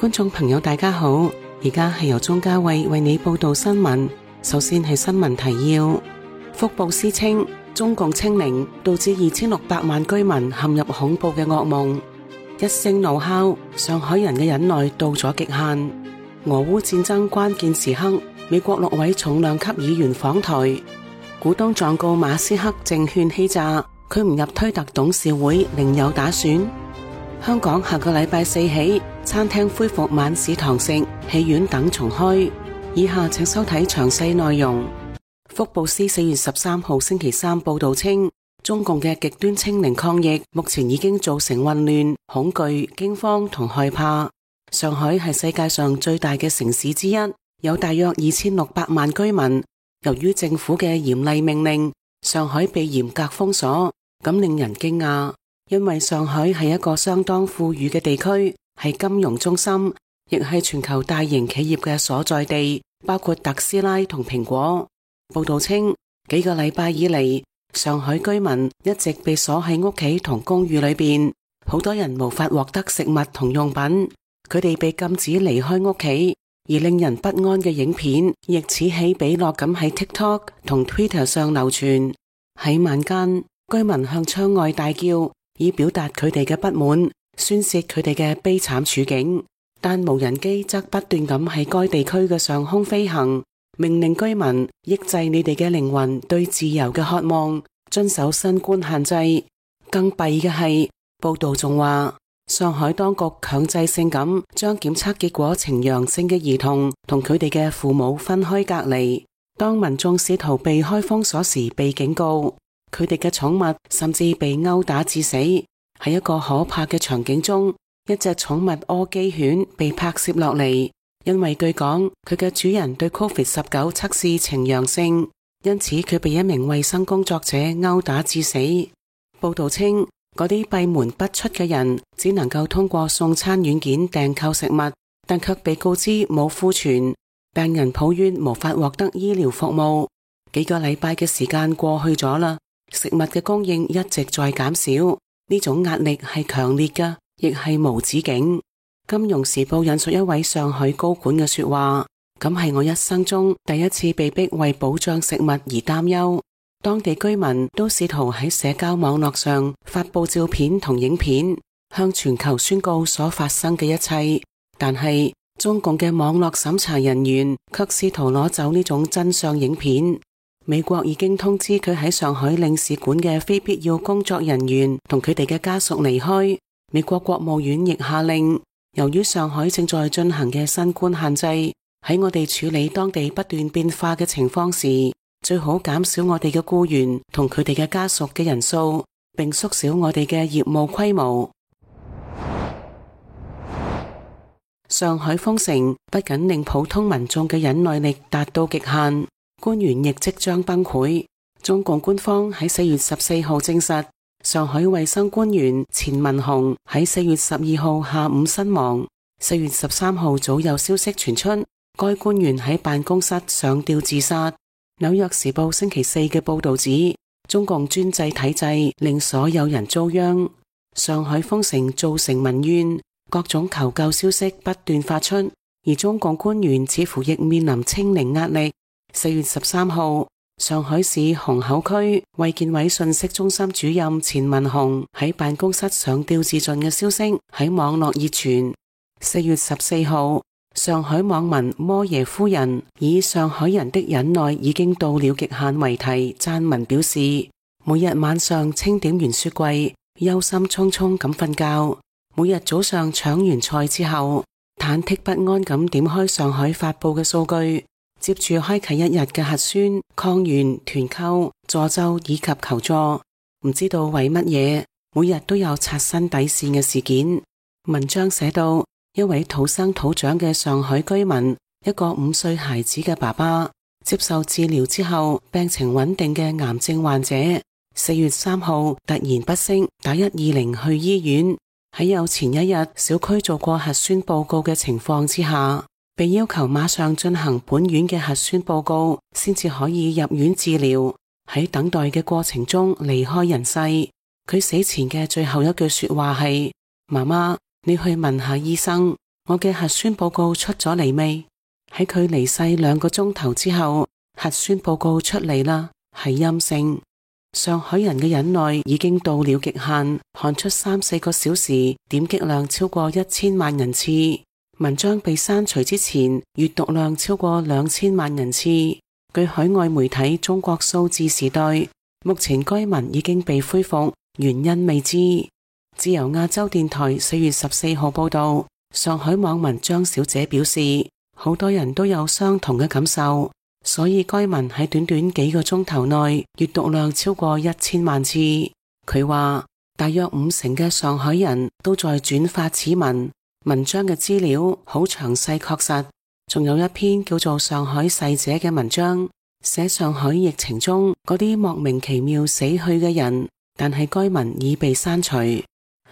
觀眾朋友大家好，而家係由鍾嘉慧為你報道新聞。首先係新聞提要。福布斯稱中共清零導致2600萬居民陷入恐怖嘅噩夢。一聲怒吼，上海人嘅忍耐到咗極限。俄烏戰爭關鍵時刻，美國6位重量級議員訪台。股東狀告馬斯克證券欺詐，佢唔入推特董事會另有打算。香港下個禮拜4起，餐廳恢復晚市堂食，戲院等重開。以下請收睇詳細內容。福布斯4月13號星期三報道稱，中共嘅極端清零抗疫目前已經造成混亂、恐懼、驚慌同害怕。上海係世界上最大嘅城市之一，有大約2600萬居民。由於政府嘅嚴厲命令，上海被嚴格封鎖，咁令人驚訝。因為上海係一個相當富裕嘅地區，係金融中心，亦係全球大型企業嘅所在地，包括特斯拉同蘋果。報道稱，幾個禮拜以嚟，上海居民一直被鎖喺屋企同公寓裏邊，好多人無法獲得食物同用品，佢哋被禁止離開屋企，而令人不安嘅影片亦此起彼落咁喺 TikTok 同 Twitter 上流傳。喺晚間，居民向窗外大叫，以表達佢哋嘅不滿，宣洩佢哋嘅悲慘處境，但無人機則不斷咁喺該地區嘅上空飛行，命令居民抑制你哋嘅靈魂對自由嘅渴望，遵守新冠限制。更弊嘅係，報道仲話，上海當局強制性咁將檢測結果呈陽性嘅兒童同佢哋嘅父母分開隔離。當民眾試圖避開封鎖時被警告，佢哋嘅寵物甚至被毆打致死。喺一個可怕嘅場景中，一隻寵物柯基犬被拍攝落嚟，因為據講佢嘅主人對 COVID-19 測試呈陽性，因此佢被一名衛生工作者毆打致死。報道稱，嗰啲閉門不出嘅人只能夠通過送餐軟件訂購食物，但卻被告知冇庫存。病人抱怨無法獲得醫療服務。幾個禮拜嘅時間過去咗啦，食物嘅供應一直在減少，呢種壓力係強烈嘅，亦係無止境。金融時報引述一位上海高管嘅說話，咁係我一生中第一次被逼為保障食物而擔憂。當地居民都試圖喺社交網絡上發佈照片同影片，向全球宣告所發生嘅一切，但係中共嘅網絡審查人員卻試圖攞走呢種真相影片。美國已經通知佢喺上海領事館嘅非必要工作人員同佢哋嘅家屬離開。美國國務院亦下令，由於上海正在進行嘅新冠限制，喺我哋處理當地不斷變化嘅情況時，最好減少我哋嘅僱員同佢哋嘅家屬嘅人數，並縮小我哋嘅業務規模。上海封城不僅令普通民眾嘅忍耐力達到極限，官員亦即將崩潰。中共官方喺4月14號證實，上海衛生官員錢文雄喺4月12號下午身亡。4月13號早有消息傳出，該官員喺辦公室上吊自殺。紐約時報星期4嘅報道指，中共專制體制令所有人遭殃。上海封城造成民怨，各種求救消息不斷發出，而中共官員似乎亦面臨清零壓力。4月13號，上海市虹口區衛健委信息中心主任錢文雄喺辦公室上吊自盡嘅消息喺網絡熱傳。4月14號，上海網民摩耶夫人以上海人的忍耐已經到了極限為題撰文表示，每日晚上清點完雪櫃，憂心忡忡咁瞓覺，每日早上搶完菜之後，忐忑不安咁點開上海發佈嘅數據，接住開啟一日嘅核酸、抗原、團購、助救以及求助，唔知道為乜嘢，每日都有刷新底線嘅事件。文章寫到，一位土生土長嘅上海居民，一個5歲孩子嘅爸爸，接受治療之後病情穩定嘅癌症患者，4月3號突然不適，打120去醫院。喺有前一日小區做過核酸報告嘅情況之下，被要求馬上進行本院嘅核酸報告，先至可以入院治療。喺等待嘅過程中離開人世。佢死前嘅最後一句說話係：媽媽，你去問下醫生。我嘅核酸報告出咗嚟未？喺佢離世2個鐘頭之後，核酸報告出嚟啦，係陰性。上海人嘅忍耐已經到了極限，看出3-4個小時點擊量超過1000萬人次，文章被刪除之前閱讀量超過2000萬人次。據海外媒體中國數字時代，目前該文已經被恢復，原因未知。自由亞洲電台4月14號報道，上海網民張小姐表示，好多人都有相同嘅感受，所以該文喺短短幾個鐘頭內閱讀量超過1000萬次。佢話大約50%嘅上海人都在轉發此文，文章嘅資料好詳細確實，仲有一篇叫做《上海逝者》嘅文章，寫上海疫情中嗰啲莫名其妙死去嘅人，但係該文已被刪除。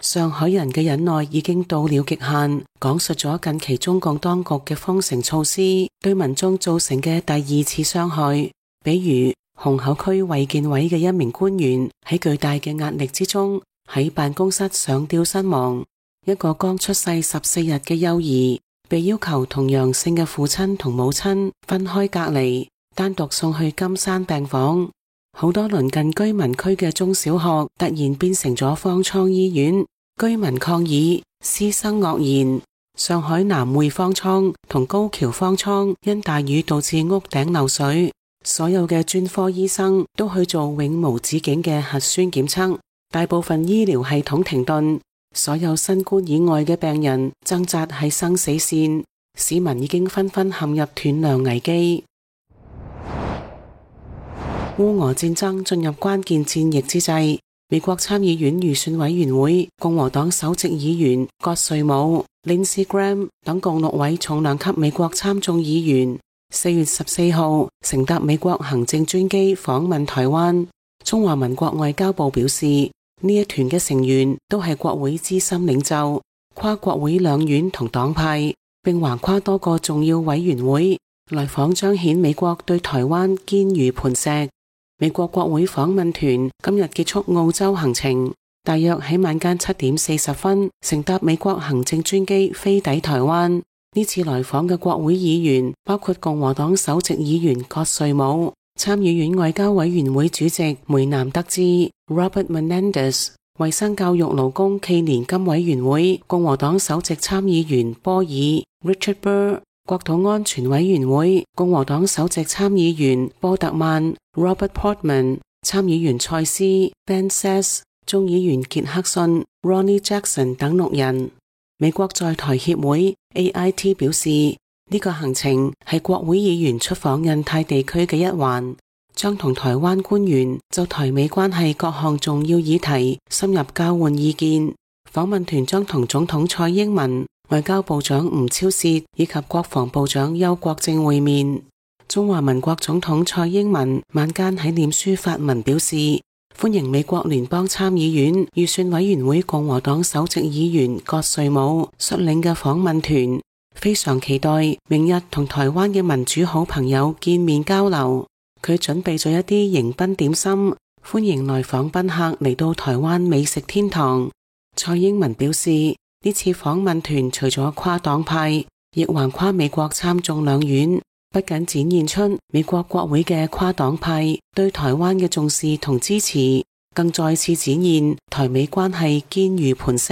上海人嘅忍耐已經到了極限，講述咗近期中共當局嘅封城措施對民眾造成嘅第2次傷害，比如虹口區衛健委嘅一名官員喺巨大嘅壓力之中喺辦公室上吊身亡，一個剛出世14日嘅幼兒被要求同陽性嘅父親同母親分開隔離，單獨送去金山病房。好多鄰近居民區嘅中小學突然變成咗方艙醫院，居民抗議，師生愕然。上海南匯方艙同高橋方艙因大雨導致屋頂漏水，所有嘅專科醫生都去做永無止境嘅核酸檢測，大部分醫療系統停頓，所有新冠以外嘅病人掙扎喺生死線，市民已經紛紛陷入斷糧危機。烏俄戰爭進入關鍵戰役之際，美國參議院預算委員會共和黨首席議員葛瑞姆、Lindsey Graham 等共6位重量級美國參眾議員4月14號乘搭美國行政專機訪問台灣。中華民國外交部表示，呢一團嘅成員都係國會資深領袖，跨國會兩院同黨派，並橫跨多個重要委員會，來訪彰顯美國對台灣堅如磐石。美國國會訪問團今日結束澳洲行程，大約喺晚間7點40分乘搭美國行政專機飛抵台灣。呢次來訪嘅國會議員包括共和黨首席議員葛瑞姆、參議院外交委員會主席梅南德茲 Robert Menendez、衛生教育勞工暨年金委員會共和黨首席參議員波爾 Richard Burr、國土安全委員會共和黨首席參議員波特曼 Robert Portman、參議員蔡斯 Ben Sasse、眾議員傑克遜 Ronnie Jackson 等6人。美國在台協會 AIT 表示，呢個行程係國會議員出訪印太地區嘅一環，將同台灣官員就台美關係各項重要議題深入交換意見。訪問團將同總統蔡英文、外交部長吳釗燮以及國防部長邱國正會面。中華民國總統蔡英文晚間喺臉書發文表示，歡迎美國聯邦參議院預算委員會共和黨首席議員葛瑞姆率領嘅訪問團，非常期待明日同台灣嘅民主好朋友見面交流。佢準備咗一啲迎賓點心，歡迎來訪賓客嚟到台灣美食天堂。蔡英文表示，呢次訪問團除咗跨黨派，亦橫跨美國參眾兩院，不僅展現出美國國會嘅跨黨派對台灣嘅重視同支持，更再次展現台美關係堅如磐石。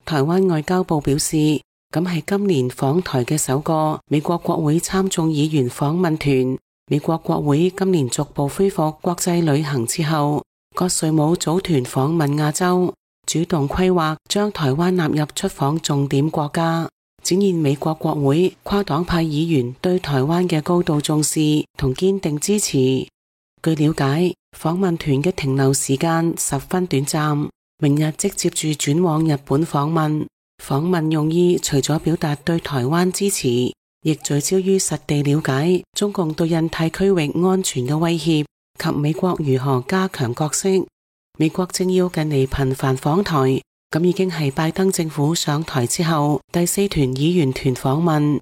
台灣外交部表示，咁係今年訪台嘅首個美國國會參眾議員訪問團。美國國會今年逐步恢復國際旅行之後，葛瑞姆組團訪問亞洲，主動規劃將台灣納入出訪重點國家，展現美國國會跨黨派議員對台灣嘅高度重視同堅定支持。據了解，訪問團嘅停留時間十分短暫，明日即接住轉往日本訪問。訪問用意除咗表達對台灣支持，亦聚焦於實地了解中共對印太區域安全嘅威脅及美國如何加強角色。美國政要近嚟頻繁訪台，咁已經係拜登政府上台之後第4團議員團訪問。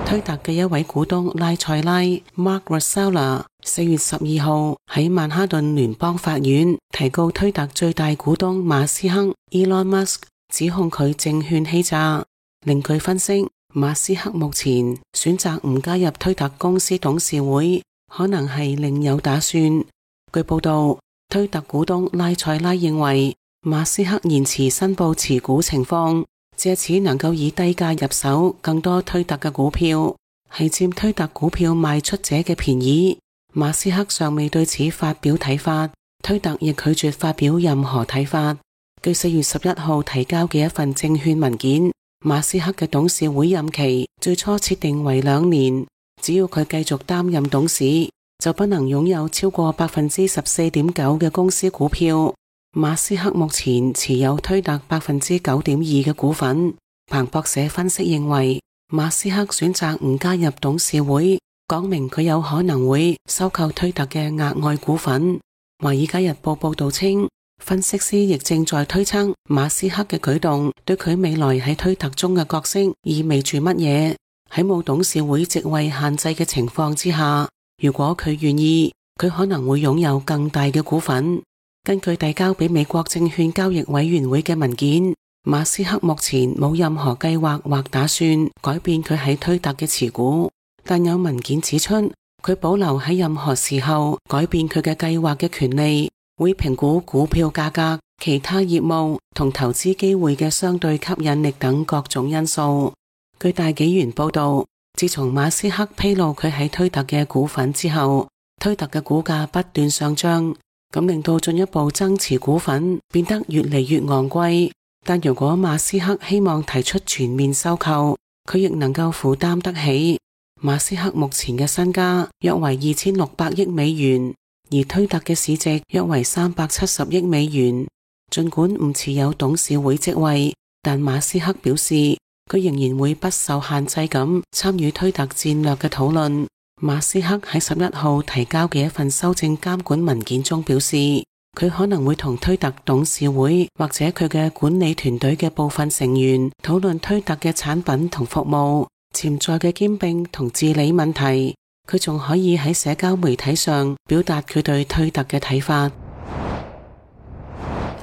推特嘅一位股東拉塞拉 Mark Rosella 4月12號喺曼哈頓聯邦法院提告推特最大股東馬斯克 Elon Musk 指控佢證券欺詐。另據分析，馬斯克目前選擇唔加入推特公司董事會，可能係另有打算。據報道，推特股東拉塞拉認為，馬斯克延遲申報持股情況，借此能夠以低價入手更多推特嘅股票，係佔推特股票賣出者嘅便宜。馬斯克尚未對此發表睇法，推特亦拒絕發表任何睇法。據4月11號提交嘅一份證券文件，馬斯克嘅董事會任期最初設定為2年，只要佢繼續擔任董事，就不能擁有超過 14.9% 嘅公司股票。馬斯克目前持有推特 9.2% 嘅股份。彭博社分析認為，馬斯克選擇唔加入董事會，講明佢有可能會收購推特嘅額外股份。華爾街日報報道稱，分析師亦正在推測馬斯克嘅舉動對佢未來喺推特中嘅角色意味住乜嘢。喺冇董事會席位限制嘅情況之下，如果佢願意，佢可能會擁有更大嘅股份。根據遞交俾美國證券交易委員會嘅文件，馬斯克目前冇任何計劃或打算改變佢喺推特嘅持股，但有文件指出，佢保留喺任何時候改變佢嘅計劃嘅權利，會評估股票價格、其他業務同投資機會嘅相對吸引力等各種因素。據大紀元報道，自從馬斯克披露佢喺推特嘅股份之後，推特嘅股價不斷上漲，咁令到進一步增持股份變得越嚟越昂貴。但如果馬斯克希望提出全面收購，佢亦能夠負擔得起。馬斯克目前嘅身家約為2600億美元，而推特嘅市值約為370億美元。盡管唔持有董事會職位，但馬斯克表示佢仍然會不受限制咁參與推特戰略嘅討論。馬斯克喺11號提交嘅一份修正監管文件中表示，佢可能會同推特董事會或者佢嘅管理團隊嘅部分成員討論推特嘅產品同服務、潛在嘅兼併同治理問題。佢仲可以喺社交媒體上表達佢對推特嘅睇法。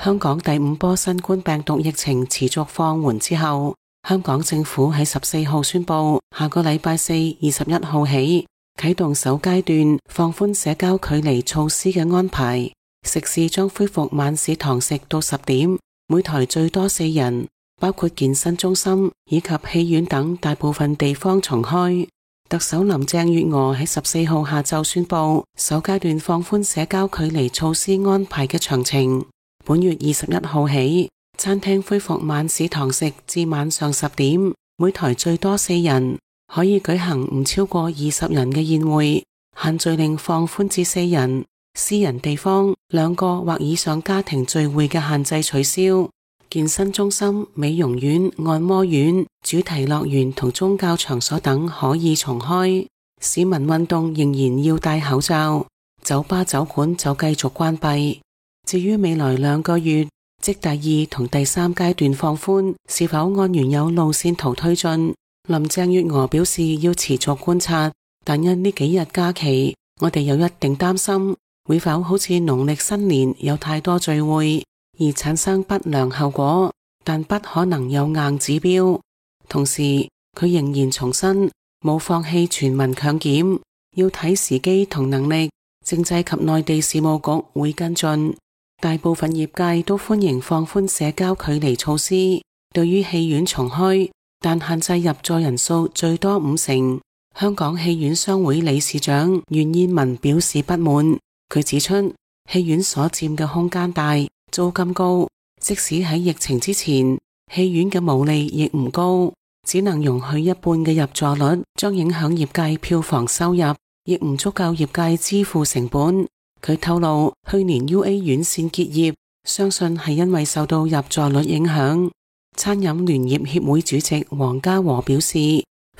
香港第5波新冠病毒疫情持續放緩之後，香港政府喺14號宣布，下個禮拜四21號起啟動首階段放寬社交距離措施嘅安排。食肆將恢復晚市堂食到10點，每台最多4人，包括健身中心以及戲院等大部分地方重開。特首林鄭月娥喺14號下晝宣布首階段放寬社交距離措施安排嘅詳情。本月21號起，餐廳恢復晚市堂食至晚上10點，每台最多4人，可以舉行唔超過20人嘅宴會，限聚令放寬至4人。私人地方2個或以上家庭聚會嘅限制取消。健身中心、美容院、按摩院、主題樂園同宗教場所等可以重開。市民運動仍然要戴口罩。酒吧酒館就繼續關閉。至於未來2個月，即第2同第3階段放寬是否按原有路線圖推進，林鄭月娥表示要持續觀察，但因呢幾日假期，我哋有一定擔心會否好似農曆新年有太多聚會而產生不良後果，但不可能有硬指標。同時，佢仍然重申冇放棄全民強檢，要睇時機同能力。政制及內地事務局會跟進。大部分業界都歡迎放寬社交距離措施。對於戲院重開，但限制入座人數最多50%，香港戲院商會理事長袁燕文表示不滿。佢指出，戲院所佔嘅空間大，租金高，即使喺疫情之前，戲院嘅毛利亦唔高，只能容許一半嘅入座率，將影響業界票房收入，亦唔足夠業界支付成本。佢透露，去年 UA 院線結業，相信係因為受到入座率影響。餐飲聯業協會主席黃家和表示，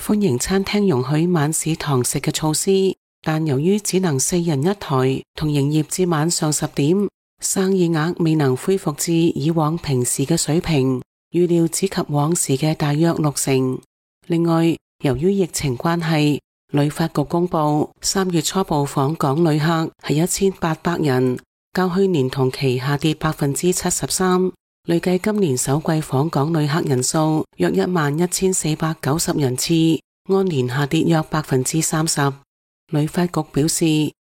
歡迎餐廳容許晚市堂食嘅措施。但由於只能4人一台，同營業至晚上10點，生意額未能恢復至以往平時嘅水平，預料只及往時嘅大約60%。另外，由於疫情關係，旅發局公布3月初步訪港旅客係1800人，較去年同期下跌73%。累計今年首季訪港旅客人數約11,490人次，按年下跌約30%。旅發局表示，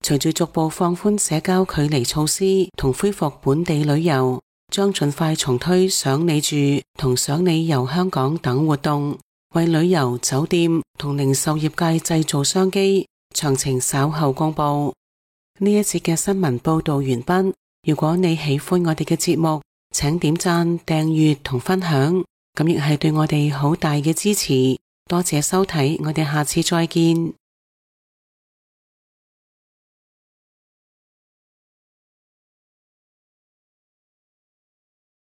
隨住逐步放寬社交距離措施同恢復本地旅遊，將盡快重推賞你住同賞你遊香港等活動，為旅遊、酒店同零售業界製造商機，詳情稍後公布。呢一節嘅新聞報道完畢。如果你喜歡我哋嘅節目，請點讚、訂閱同分享，咁亦係對我哋好大嘅支持。多謝收睇，我哋下次再見。